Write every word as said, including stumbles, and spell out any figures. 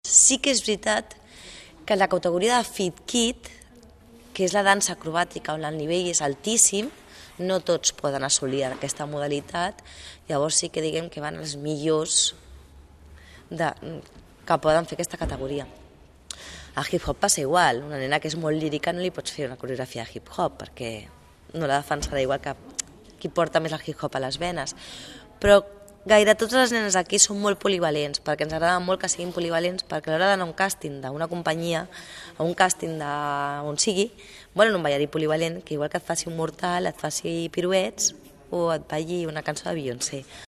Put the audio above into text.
Sí que és veritat que la categoria de Fit Kid, que és la dansa acrobàtica on el nivell és altíssim, no tots poden assolir aquesta modalitat, llavors sí que diguem que van els millors de, que poden fer aquesta categoria. A hip-hop passa igual, una nena que és molt lírica no li pots fer una coreografia de hip-hop perquè no la defensarà igual que qui porta més el hip-hop a les venes, però gaire totes les nenes aquí són molt polivalents, perquè ens agrada molt que siguin polivalents, perquè a l'hora d'anar a un càsting d'una companyia, a un càsting d'on sigui, volen un ballarí polivalent que igual que et faci un mortal, et faci piruets o et balli una cançó de Beyoncé.